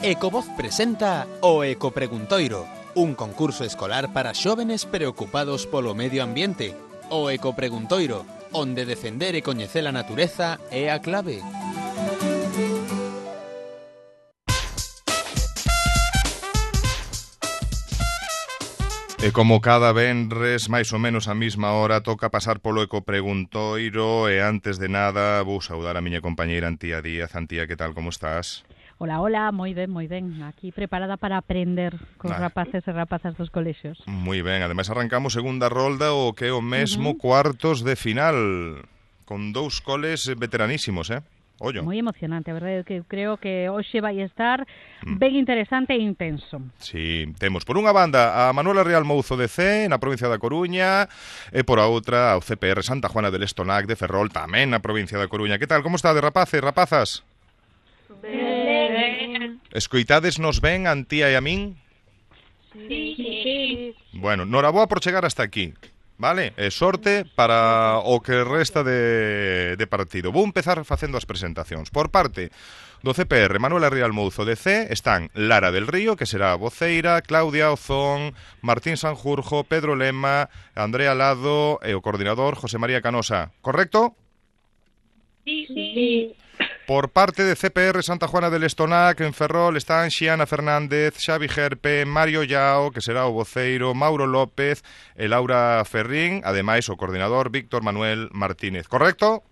Ecovoz presenta o Ecopreguntoiro, un concurso escolar para xóvenes preocupados polo medio ambiente. O Ecopreguntoiro, onde defender e coñecer a natureza é a clave. E como cada venres, máis ou menos a mesma hora, toca pasar polo Ecopreguntoiro e antes de nada vou saudar a miña compañeira Antía Díaz. Antía, que tal, como estás? Hola, hola, moi ben, aquí preparada para aprender cos rapaces e rapazas dos colexios. Moi ben, ademais arrancamos segunda rolda o que é o mesmo cuartos de final, con dous coles veteranísimos, Ollo. Moi emocionante, a verdade é que creo que hoxe vai estar ben interesante e intenso. Sí, temos por unha banda a Manuela Real Mouzo de C, na provincia da Coruña, e por a outra ao CPR Santa Juana del Estonac de Ferrol, tamén na provincia da Coruña. Que tal, como está de rapaces, rapazas? Ben. Escoitádesnos ben, Antía e a min? Sí. Bueno, noraboa por chegar hasta aquí, vale? E sorte para o que resta de partido. Vou empezar facendo as presentacións. Por parte do CPR, Manuela Real Mouzo de C, están Lara del Río, que será a voceira, Claudia Ozón, Martín Sanjurjo, Pedro Lema, Andrea Lado e o coordinador José María Canosa. Correcto? Sí. Por parte de CPR Santa Juana del Estonac, en Ferrol, están Xiana Fernández, Xavi Gerpe, Mario Yao, que será o voceiro, Mauro López e Laura Ferrín, ademais o coordinador Víctor Manuel Martínez. Correcto?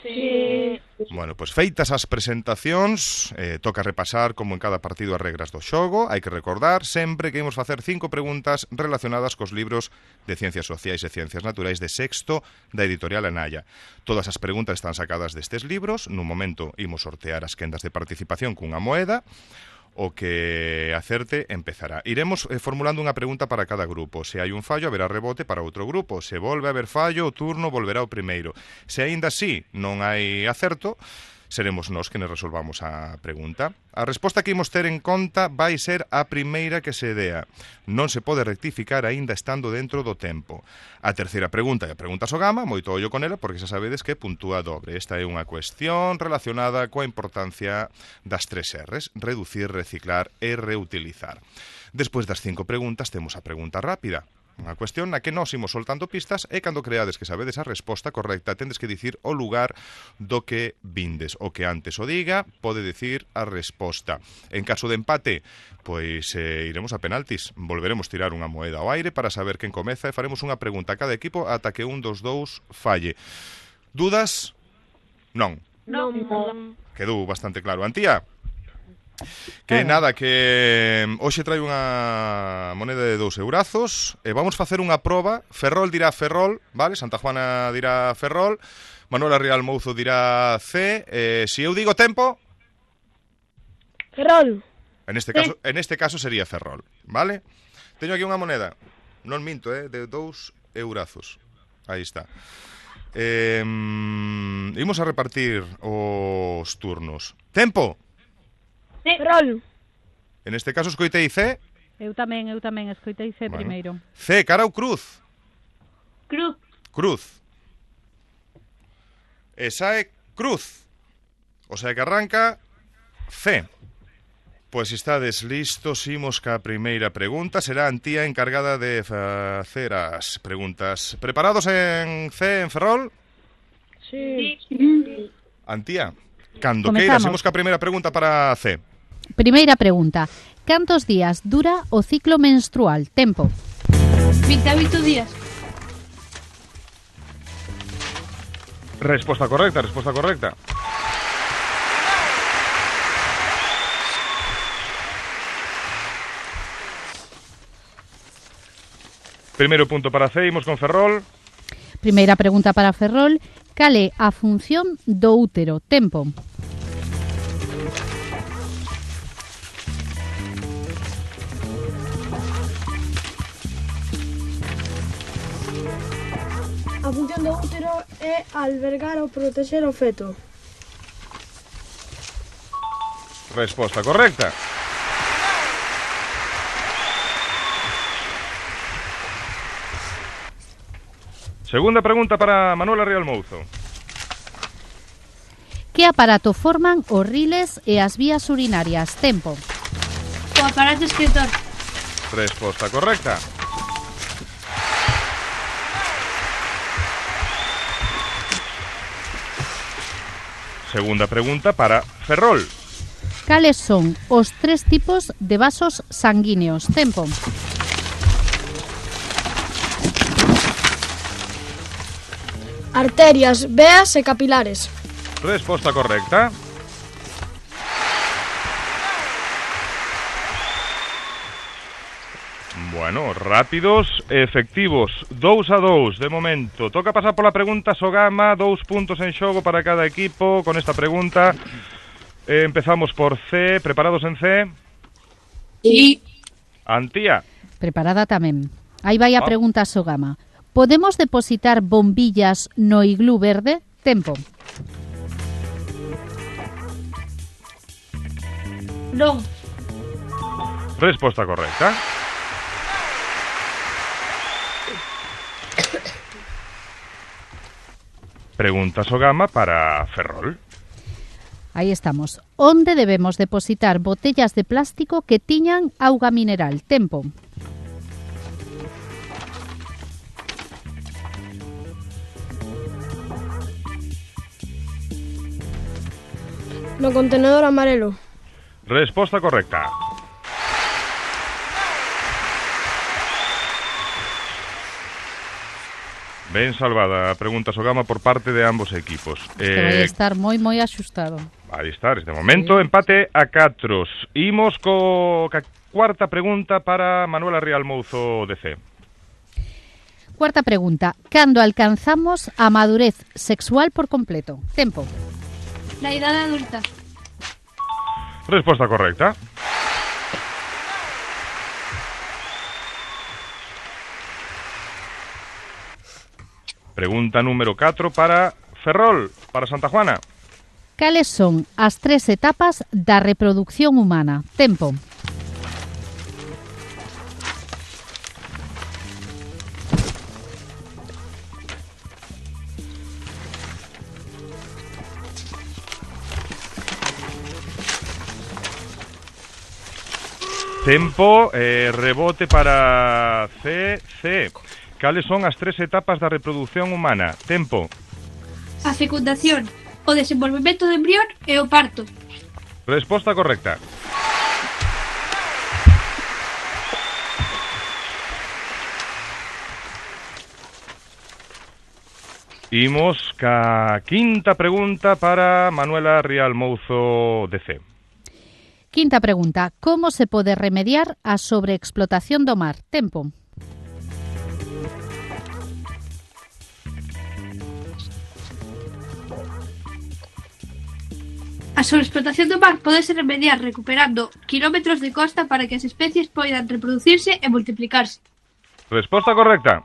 Sí. Bueno, pois feitas as presentacións, toca repasar como en cada partido as regras do xogo. Hai que recordar sempre que imos facer 5 preguntas relacionadas cos libros de Ciencias Sociais e Ciencias Naturais de sexto da editorial Anaya. Todas as preguntas están sacadas destes libros. Nun momento imos sortear as quendas de participación cunha moeda. O que acerte empezará. Iremos formulando unha pregunta para cada grupo. Se hai un fallo, haberá rebote para outro grupo. Se volve a haber fallo, o turno volverá ao primeiro. Se aínda así non hai acerto, seremos nós que nos resolvamos a pregunta. A resposta que imos ter en conta vai ser a primeira que se dea. Non se pode rectificar aínda estando dentro do tempo. A terceira pregunta é a pregunta Sogama, moito ollo con ela, porque xa sabedes que puntúa dobre. Esta é unha cuestión relacionada coa importancia das 3 R's: reducir, reciclar e reutilizar. Despois das 5 preguntas temos a pregunta rápida. Unha cuestión na que nós imos soltando pistas e cando creades que sabedes a resposta correcta tendes que dicir o lugar do que vindes. O que antes o diga pode dicir a resposta. En caso de empate, pois iremos a penaltis. Volveremos tirar unha moeda ao aire para saber quen comeza e faremos unha pregunta a cada equipo ata que un dos dous falle. Dudas? Non. Non. Quedou bastante claro. Antía? Que nada, que hoxe traio unha moneda de 2 eurazos e vamos facer unha proba. Ferrol dirá Ferrol, vale? Santa Juana dirá Ferrol, Manuela Real Mouzo dirá C. Se eu digo tempo, Ferrol. en este caso sería Ferrol, vale? Teño aquí unha moneda, non minto, de 2 eurazos. Aí está. Imos a repartir os turnos. Tempo. Ferrol. En este caso escoitei C. Eu tamén escoitei C primeiro. C, cara ou cruz? Cruz. Esa é cruz. O sea que arranca C. Pois estades listos, imos ca primeira pregunta. Será Antía encargada de facer as preguntas. Preparados en C, en Ferrol? Sí. Antía, cando Comezamos. queiras, imos ca primeira pregunta para C. Primeira pregunta. Cantos días dura o ciclo menstrual? Tempo. 28 días. Resposta correcta. Primeiro punto para C, imos con Ferrol. Primeira pregunta para Ferrol. Cal é a función do útero? Tempo. A función do útero é albergar ou protexer o feto. Resposta correcta. Segunda pregunta para Manuela Real Mouzo. Que aparato forman os riles e as vías urinarias? Tempo. O aparato escritor. Resposta correcta. Segunda pregunta para Ferrol. Cales son os 3 tipos de vasos sanguíneos? Tempo. Arterias, veas e capilares. Resposta correcta. Bueno, rápidos e efectivos. 2-2 de momento. Toca pasar pola pregunta Sogama. 2 puntos en xogo para cada equipo con esta pregunta. Empezamos por C. Preparados en C? Sí. Antía. Preparada tamén. Aí vai a pregunta Sogama. Podemos depositar bombillas no iglú verde? Tempo. Non. Resposta correcta. Pregunta Sogama para Ferrol. Aí estamos. Onde debemos depositar botellas de plástico que tiñan auga mineral? Tempo. No contenedor amarelo. Resposta correcta. Ben salvada a pregunta Sogama por parte de ambos equipos. Vai estar moi axustado. Vai estar, este momento, sí. Empate a 4. Imos ca cuarta pregunta para Manuela Rial Mouzo de C. Cuarta pregunta. Cando alcanzamos a madurez sexual por completo? Tempo. La edad adulta. Resposta correcta. Pregunta número 4 para Ferrol, para Santa Juana. Cales son as 3 etapas da reproducción humana? Tempo. Tempo, rebote para C. Cales son as 3 etapas da reproducción humana? Tempo. A fecundación, o desenvolvemento do embrión e o parto. Resposta correcta. Imos ca quinta pregunta para Manuela Rial Mouzo de C. Quinta pregunta. Como se pode remediar a sobreexplotación do mar? Tempo. A sobreexplotación do mar pode ser remediar recuperando kilómetros de costa para que as especies poidan reproducirse e multiplicarse. Resposta correcta.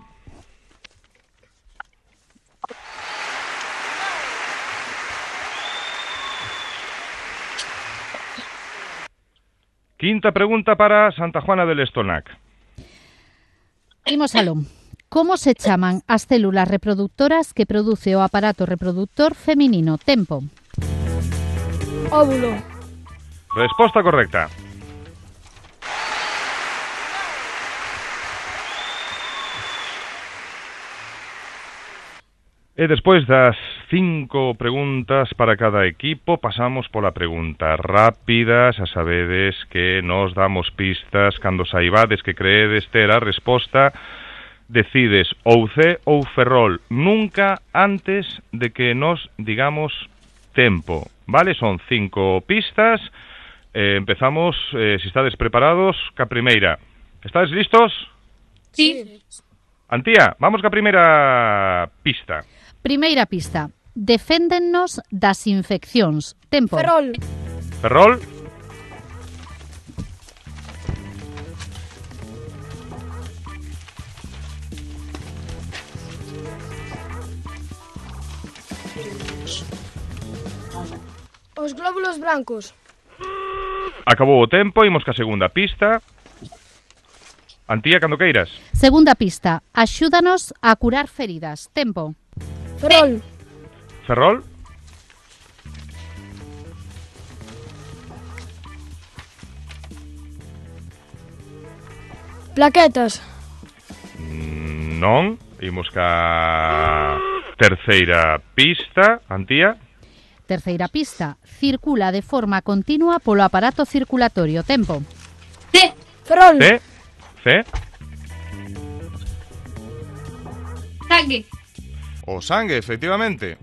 Quinta pregunta para Santa Juana del Estonac. Imos aló. Como se chaman as células reproductoras que produce o aparato reproductor feminino? Tempo. Óvulo. Resposta correcta. E despois das 5 preguntas para cada equipo, pasamos pola pregunta rápida. Xa sabedes que nos damos pistas cando saibades que creedes ter a resposta. Decides ou C ou Ferrol, nunca antes de que nos digamos tempo. Vale, son 5 pistas. Empezamos, se estades preparados, ca primeira. Estades listos? Sí. Antía, vamos ca primeira pista. Primeira pista. Deféndennos das infeccións. Tempo. Ferrol. Ferrol. Os glóbulos brancos. Acabou o tempo, imos ca segunda pista. Antía, cando queiras. Segunda pista. Axúdanos a curar feridas. Tempo. Ferrol. Ferrol. Plaquetas. Non. Imos ca terceira pista. Antía? Terceira pista. Circula de forma continua polo aparato circulatorio. Tempo. C. Ferrol. C. C. Sangue. O sangue, efectivamente.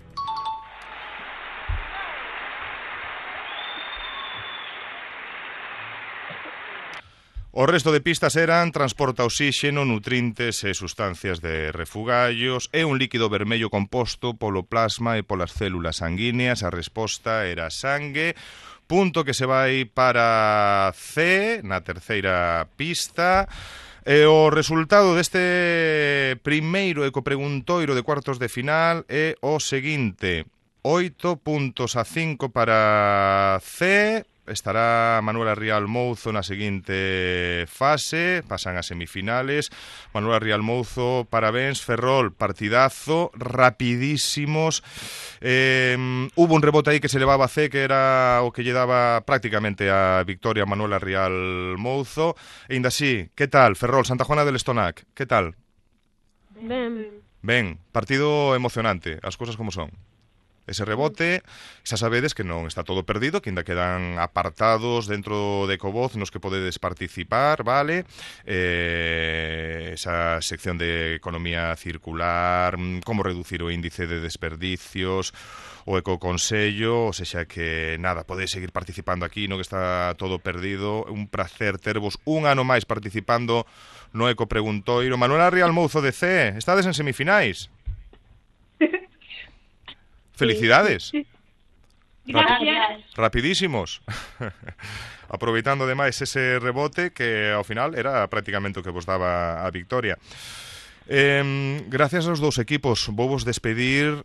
O resto de pistas eran transporta oxíxeno, nutrientes e sustancias de refugallos e un líquido vermello composto polo plasma e polas células sanguíneas. A resposta era sangue. Punto que se vai para C, na terceira pista. E o resultado deste primeiro ecopreguntoiro de cuartos de final é o seguinte: 8 puntos a 5 para C. Estará Manuela Rial Mouzo na seguinte fase, pasan as semifinales. Manuela Rial Mouzo, parabéns. Ferrol, partidazo, rapidísimos. Hubo un rebote aí que se levaba a C, que era o que lle daba prácticamente a victoria a Manuela Rial Mouzo. E ainda así, que tal, Ferrol, Santa Juana del Estonac, que tal? Ben, partido emocionante, as cousas como son. Ese rebote, xa sabedes que non está todo perdido, que ainda quedan apartados dentro de Ecovoz nos que podedes participar, vale? Esa sección de economía circular, como reducir o índice de desperdicios, o ecoconsello, ou sexa que nada, podedes seguir participando aquí, non que está todo perdido. Un placer tervos un ano máis participando no Ecopreguntoiro. Manuela Rial Mouzo de C, estades en semifinais. Felicidades. Gracias. Rapidísimos. Aproveitando ademais ese rebote que ao final era prácticamente o que vos daba a victoria. Gracias aos dous equipos vou vos despedir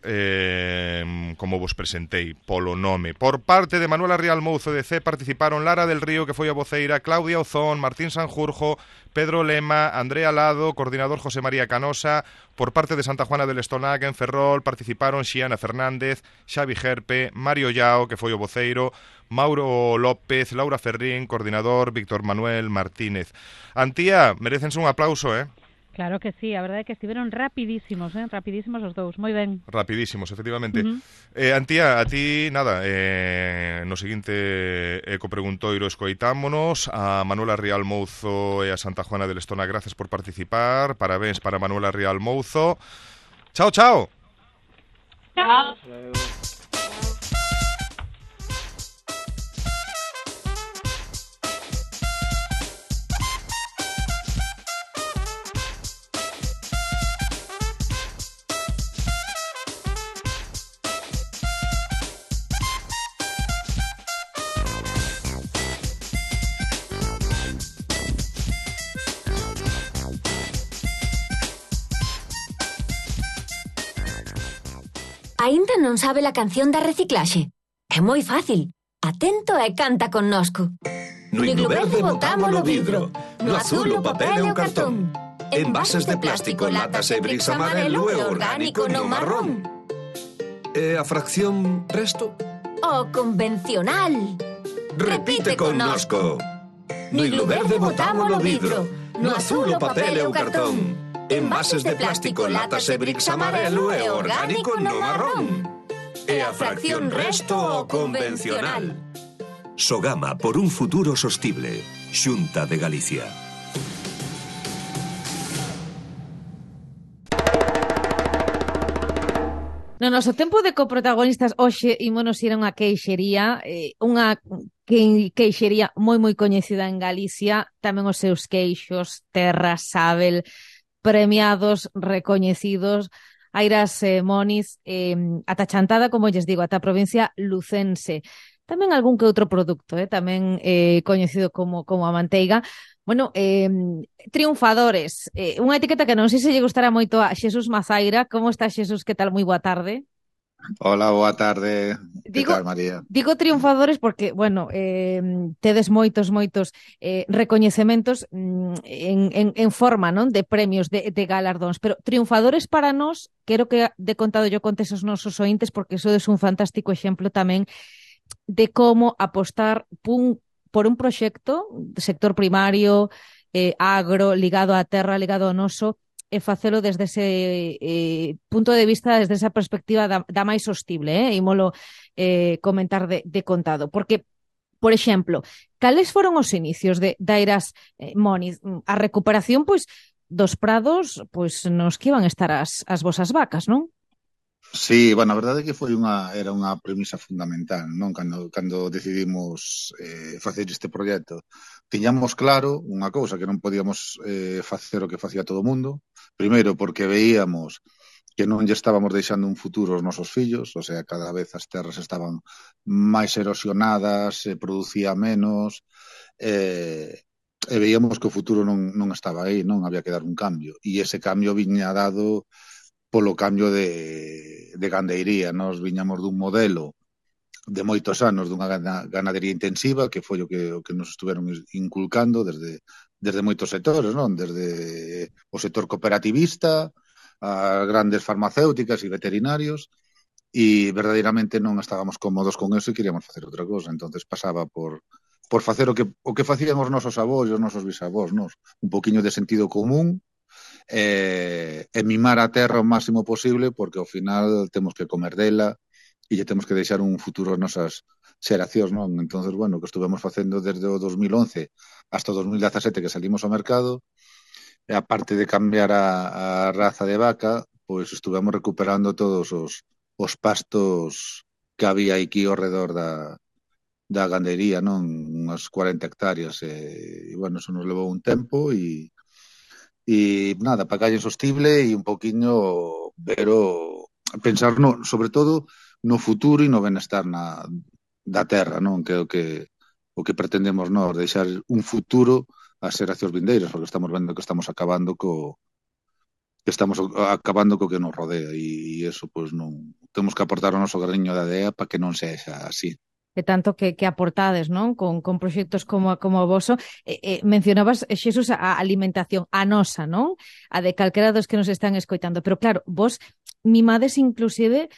como vos presentei polo nome. Por parte de Manuela Rial Mouzo de C participaron Lara del Río, que foi a voceira, Claudia Ozón, Martín Sanjurjo, Pedro Lema, Andrea Lado, coordinador José María Canosa. Por parte de Santa Juana del Estonac en Ferrol participaron Xiana Fernández, Xavi Gerpe, Mario Llao, que foi o voceiro, Mauro López, Laura Ferrín, coordinador, Víctor Manuel Martínez. Antía, merecense un aplauso, Claro que sí, a verdade é que estiveron rapidísimos, rapidísimos os dous, moi ben. Rapidísimos, efectivamente. Antía, a ti, nada, no seguinte ecopreguntoiro escoitámonos a Manuela Rial Mouzo e a Santa Juana del Estonac. Gracias por participar, parabéns para Manuela Rial Mouzo. Chao, chao. Chao. Aínda non sabe a canción da reciclaxe? É moi fácil. Atento e canta connosco. No iglo verde botámolo vidro, no azul o papel e o cartón. Envases de plástico, latas e bricks amarelo e orgánico no marrón. E a fracción resto? O convencional. Repite connosco. No iglo verde botámolo vidro, no azul o papel e o cartón. Envases de plástico, latas e bricks amarelo e orgánico no marrón. E a fracción resto o convencional. Sogama por un futuro sostible. Xunta de Galicia. No noso tempo de coprotagonistas hoxe ímonos ir a unha queixería, unha queixería moi coñecida en Galicia, tamén os seus queixos, Terra, Sabel, premiados, recoñecidos, Airas Moniz, ata Chantada, como lles digo, ata a provincia lucense. Tamén algún que outro produto, tamén coñecido como a manteiga. Bueno, triunfadores, unha etiqueta que non sei se lle gustará moito a Xesús Mazaira. Como está, Xesús? Que tal? Moi boa tarde. Hola, boa tarde. Que tal, María? Digo triunfadores porque, bueno, tedes moitos recoñecementos en forma, non? De premios, de galardóns, pero triunfadores para nós, quero que de contado yo contes os nosos ointes, porque sodes un fantástico exemplo tamén de como apostar por un proxecto de sector primario, agro, ligado á terra, ligado ao noso, e facelo desde ese punto de vista, desde esa perspectiva da máis sostible, ímolo comentar de contado, porque por exemplo, cales foron os inicios da Eiras Moniz? A recuperación, pois, dos prados, pois, nos que iban estar as vosas vacas, non? Sí, bueno, a verdade é que era unha premisa fundamental, non? Cando decidimos facer este proxecto. Tiñamos claro unha cousa, que non podíamos facer o que facía todo o mundo. Primeiro, porque veíamos que non lle estábamos deixando un futuro aos nosos fillos, o sea, cada vez as terras estaban máis erosionadas, se producía menos, e veíamos que o futuro non estaba aí, non había que dar un cambio. E ese cambio viña dado polo cambio de gandeiría. Nos viñamos dun modelo de moitos anos dunha ganadería intensiva, que foi o que nos estuveron inculcando desde moitos sectores, non? Desde o sector cooperativista, as grandes farmacéuticas e veterinarios, e verdadeiramente non estábamos cómodos con eso e queríamos facer outra cosa. Entonces pasaba por facer o que facían os nosos avós e os nosos bisavós, nos? Un poquinho de sentido común, e mimar a terra o máximo posible, porque ao final temos que comer dela e lle temos que deixar un futuro ás nosas xeracións, non? Entonces, bueno, o que estuvemos facendo desde o 2011 hasta o 2017 que salimos ao mercado, e aparte de cambiar a raza de vaca, pois estuvemos recuperando todos os pastos que había aquí ao redor da gandería, non? Unhas 40 hectáreas, e bueno, eso nos levou un tempo, e nada, para calle sostible e un poquinho pensar sobre todo no futuro e no benestar da terra, non? Que é o que pretendemos nós, deixar un futuro ás xeracións vindeiras, porque estamos vendo que estamos acabando co que nos rodea, e eso, pois, non temos que aportar o noso graniño de adea para que non sexa así. E tanto que aportades, non? Con proxectos como o voso. Mencionabas, Xesús, a alimentación, a nosa, non? A de calquera dos que nos están escoitando. Pero claro, vos mimades inclusive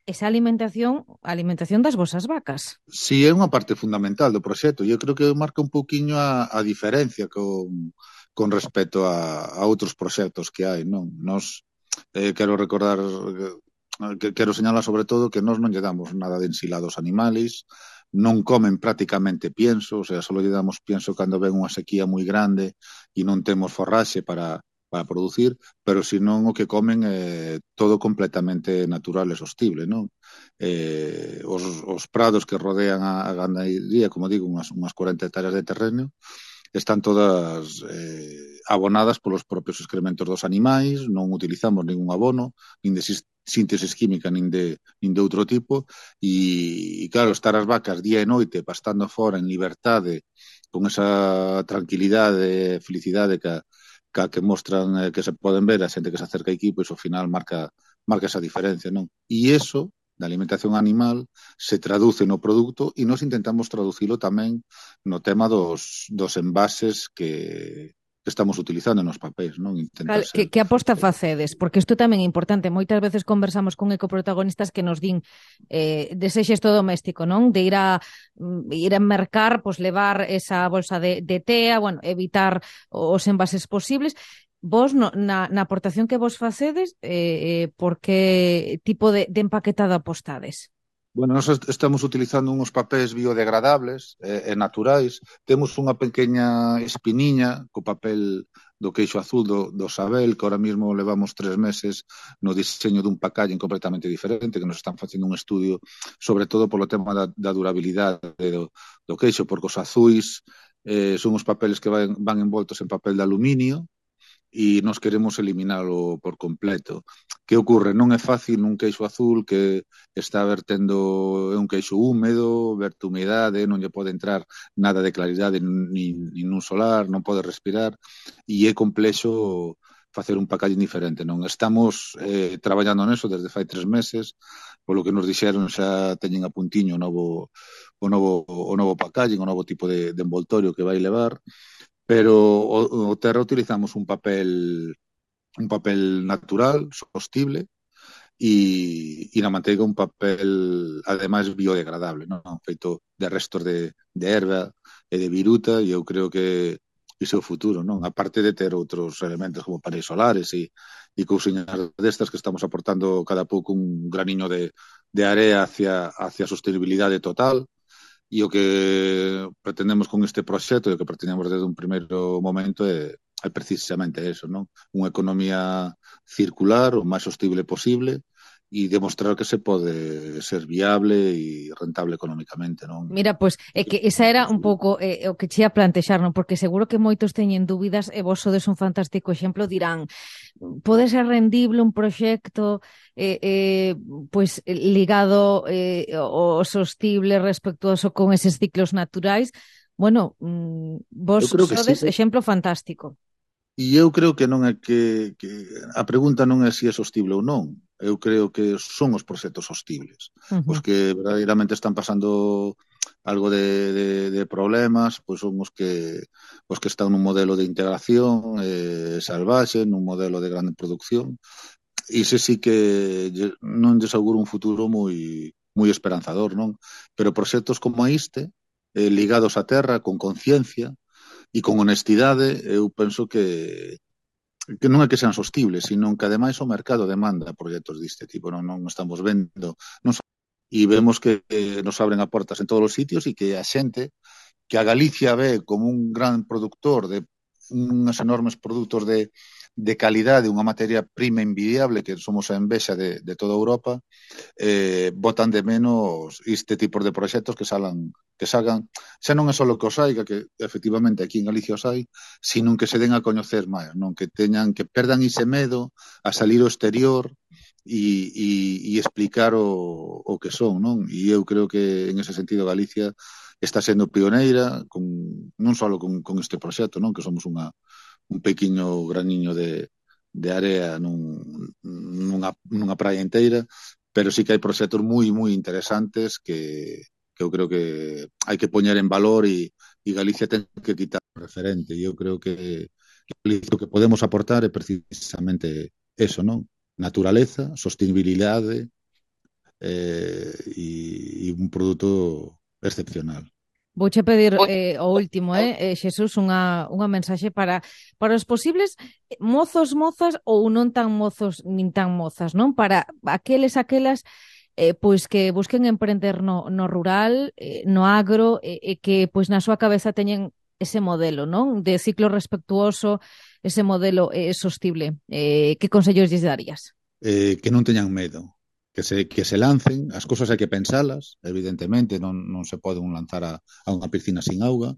esa alimentación das vosas vacas. Sí, é unha parte fundamental do proxecto. Eu creo que marca un pouquiño a diferencia con respecto a outros proxectos que hai, non? Nos quero recordar, quero señalar sobre todo que nós non lle damos nada de ensilados animales, non comen prácticamente pienso, o sea, só lle damos pienso cando ven unha sequía moi grande e non temos forraxe para producir, pero senón o que comen é todo completamente natural e sostible, non? Os prados que rodean a ganadería, como digo, unhas 40 hectáreas de terreno, están todas abonadas polos propios excrementos dos animais, non utilizamos ningún abono, nin de síntesis química, nin de outro tipo, e claro, estar as vacas día e noite pastando fora en liberdade, con esa tranquilidade e felicidade que mostran, que se poden ver a xente que se acerca aquí, pois ao final marca esa diferencia, non? E iso da alimentación animal se traduce no produto, e nós intentamos traducilo tamén no tema dos envases que estamos utilizando nos papéis, non? Que aposta facedes? Porque isto tamén é importante. Moitas veces conversamos con ecoprotagonistas que nos din dese xesto doméstico, non? De ir a mercar, pois levar esa bolsa de tea, bueno, evitar os envases posibles. Vos, na aportación que vos facedes, por que tipo de empaquetado apostades? Bueno, nós estamos utilizando uns papéis biodegradables e naturais. Temos unha pequena espiniña co papel do queixo azul do Sabel, que ahora mismo levamos 3 meses no diseño dun packaging completamente diferente, que nos están facendo un estudio sobre todo polo tema da durabilidade do queixo, porque os azuis son os papeles que van envoltos en papel de aluminio, e nos queremos eliminalo por completo. Que ocorre? Non é fácil nun queixo azul que está vertendo, é un queixo húmedo, verte humedade, non lle pode entrar nada de claridade nin un solar, non pode respirar, e é complexo facer un packaging diferente, non? Estamos traballando neso desde fai 3 meses, polo que nos dixeron xa teñen a puntiño o novo packaging, o novo tipo de envoltorio que vai levar, pero o terra utilizamos un papel natural, sostible, e na manteiga un papel ademais biodegradable, non? Feito de restos de erva e de viruta, e eu creo que o futuro, non? A parte de ter outros elementos como paneis solares e cousiñas destas que estamos aportando cada pouco un graniño de area hacia a sostenibilidade total. E o que pretendemos con este proxecto e o que pretendemos desde un primeiro momento é precisamente eso, non? Unha economía circular o máis sostible posible e demostrar que se pode ser viable e rentable económicamente, non? Mira, pois, é que esa era un pouco o que che ia plantexar, non? Porque seguro que moitos teñen dúbidas e vos sodes un fantástico exemplo, dirán, pode ser rendible un proxecto pois ligado ao sostible, respectuoso con eses ciclos naturais? Bueno, vos sodes sí, exemplo fantástico. E eu creo que non é que a pregunta non é se é sostible ou non. Eu creo que son os proxectos sostibles. Os que verdadeiramente están pasando algo de problemas, pois son os que están nun modelo de integración salvaxe, nun modelo de grande producción. E ese sí que non lles auguro un futuro moi esperanzador, non? Pero proxectos como este, ligados á terra, con conciencia, e con honestidade, eu penso que non é que sean sostibles, sino que ademais o mercado demanda proxectos deste tipo, non estamos vendo, e vemos que nos abren a portas en todos os sitios e que a xente, que a Galicia ve como un gran productor de unhas enormes produtos de calidade, unha materia prima envidiable, que somos a envexa de toda Europa, botan de menos este tipo de proxectos que salgan, xa non é só que os hai, que efectivamente aquí en Galicia os hai, sino que se den a coñecer máis, non? Que perdan ese medo a salir ao exterior e explicar o que son, non? E eu creo que en ese sentido Galicia está sendo pioneira non só con este proxecto, non? Que somos un pequeno graniño de area nunha praia inteira, pero sí que hai proxectos moi interesantes que eu creo que hai que poñer en valor e Galicia ten que quitar o referente. E eu creo que o que podemos aportar é precisamente eso, non? Naturaleza, sostenibilidade e un produto excepcional. Vouche pedir o último, Xesús, unha mensaxe para os posibles mozos, mozas ou non tan mozos nin tan mozas, non? Para aquelas pois que busquen emprender no rural, no agro, e que pois na súa cabeza teñen ese modelo, non? De ciclo respectuoso, ese modelo sostible. Que consellos lles darías? Que non teñan medo. Que se lancen, as cousas hai que pensalas, evidentemente, non se pode lanzar a unha piscina sin auga,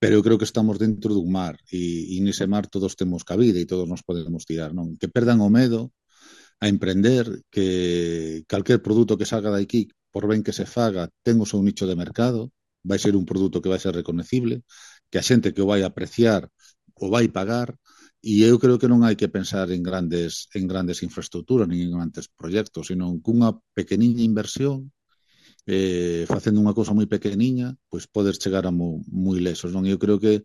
pero eu creo que estamos dentro dun mar, e nese mar todos temos cabida e todos nos podemos tirar, non? Que perdan o medo a emprender, que calquer produto que salga de aquí, por ben que se faga, ten o seu nicho de mercado, vai ser un produto que vai ser reconocible, que a xente que o vai apreciar o vai pagar. E eu creo que non hai que pensar en grandes infraestructuras nin en grandes proxectos, sino que unha pequeniña inversión, facendo unha cousa moi pequeniña, pois podes chegar a moi lesos, non? Eu creo que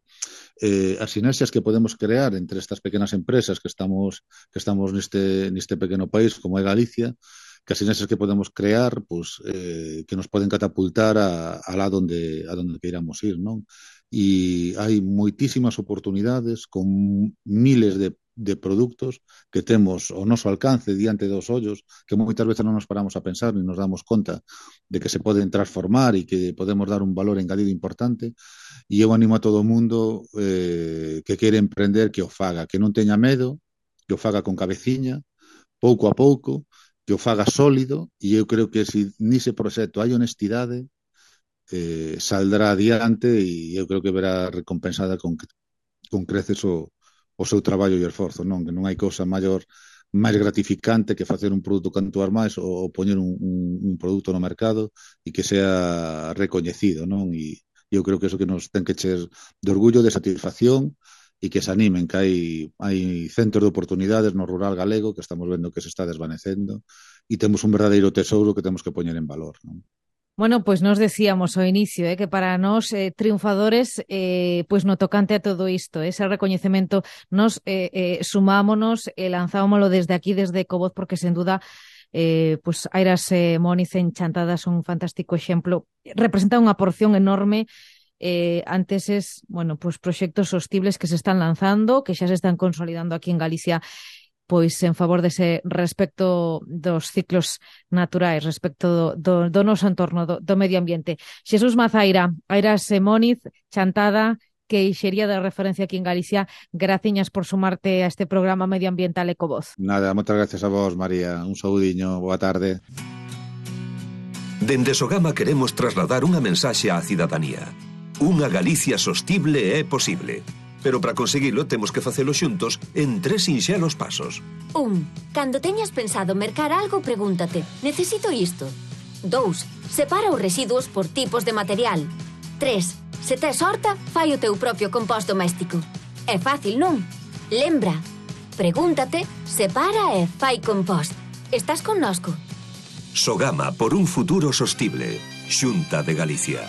as sinerxias que podemos crear entre estas pequenas empresas que estamos neste pequeno país como é Galicia, que as sinerxias que podemos crear, pois que nos poden catapultar a lá onde queiramos ir, non? E hai moitísimas oportunidades con miles de produtos que temos ao noso alcance diante dos ollos, que moitas veces non nos paramos a pensar ni nos damos conta de que se poden transformar e que podemos dar un valor engadido importante. E eu animo a todo o mundo que quere emprender que o faga, que non teña medo, que o faga con cabeciña, pouco a pouco, que o faga sólido, e eu creo que se nese proxecto hai honestidade, saldrá adiante e eu creo que verá recompensada con creces o seu traballo e esforzo, non? Que non hai cousa máis gratificante que facer un produto cantuar máis ou poñer un produto no mercado e que sea recoñecido, non? E eu creo que eso que nos ten que ser de orgullo, de satisfacción, e que se animen, que hai centros de oportunidades no rural galego que estamos vendo que se está desvanecendo e temos un verdadeiro tesouro que temos que poñer en valor, non? Bueno, pois nos decíamos ao inicio que para nós triunfadores, pois no tocante a todo isto, ese recoñecemento, nos sumámonos e lanzámoslo desde aquí, desde Ecovoz, porque sen duda pois Airas Móniz en Chantada son un fantástico exemplo, representa unha porción enorme ante eses, pues proxectos sostibles que se están lanzando, que xa se están consolidando aquí en Galicia, pois en favor dese respecto dos ciclos naturais, respecto do noso entorno, do medio ambiente. Xesús Mazaira, Airas Móniz, Chantada, queixería de referencia aquí en Galicia, graciñas por sumarte a este programa medioambiental Ecovoz. Nada, moitas gracias a vos, María. Un saudiño, boa tarde. Dende Sogama queremos trasladar unha mensaxe á cidadanía. Unha Galicia sostible é posible. Pero para conseguilo temos que facelo xuntos en 3 sinxelos pasos. 1. Cando teñas pensado mercar algo, pregúntate, necesito isto? 2. Separa os residuos por tipos de material. 3. Se tes horta, fai o teu propio compost doméstico. É fácil, non? Lembra, pregúntate, separa e fai compost. Estás connosco? Sogama por un futuro sostible. Xunta de Galicia.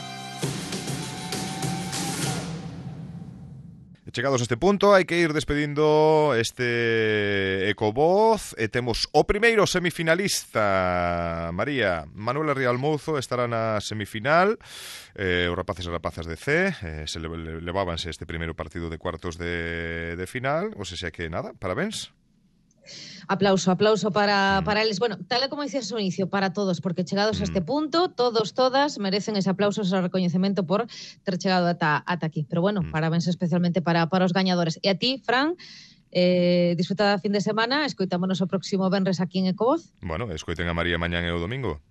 Chegados a este punto, hai que ir despedindo este Ecovoz e temos o primeiro semifinalista. María, Manuela Rialmouzo estará na semifinal. Os rapaces e rapazas de C se levábanse este primeiro partido de cuartos de final. O sea que nada, parabéns. Aplauso para eles. Bueno, tal e como dicías ao inicio, para todos, porque chegados a este punto, todas merecen ese aplauso, ese recoñecemento por ter chegado ata aquí. Pero bueno, parabéns especialmente para os gañadores. E a ti, Fran, disfruta da fin de semana, escoitámonos o próximo venres aquí en Ecovoz. Bueno, escoiten a María mañán e o domingo,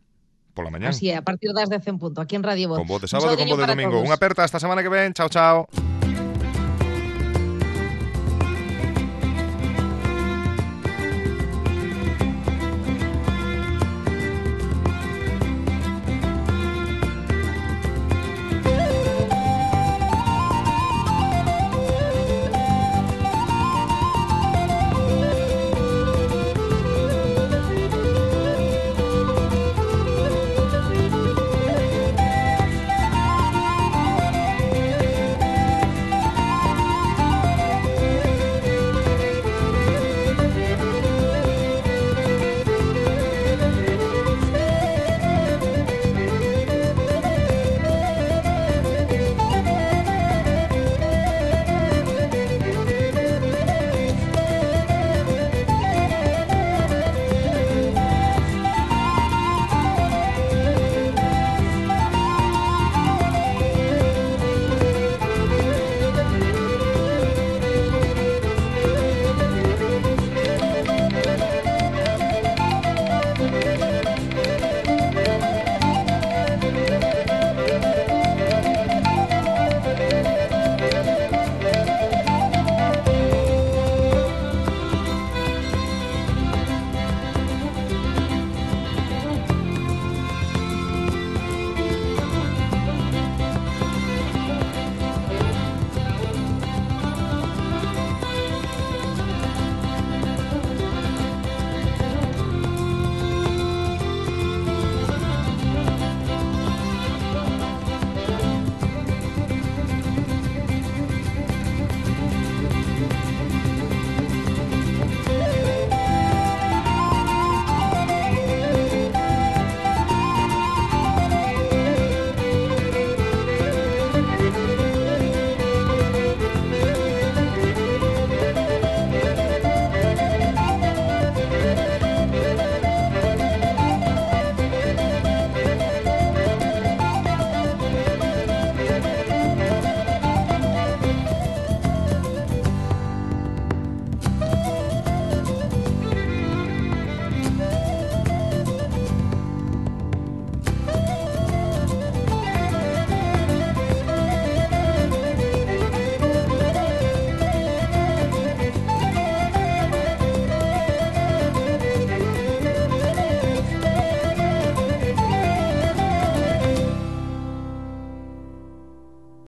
pola mañán. Así é, a partir das 10 en punto, aquí en Radio Voz. Con voz de sábado, con voz de domingo. Unha aperta, esta semana que ven, chao, chao.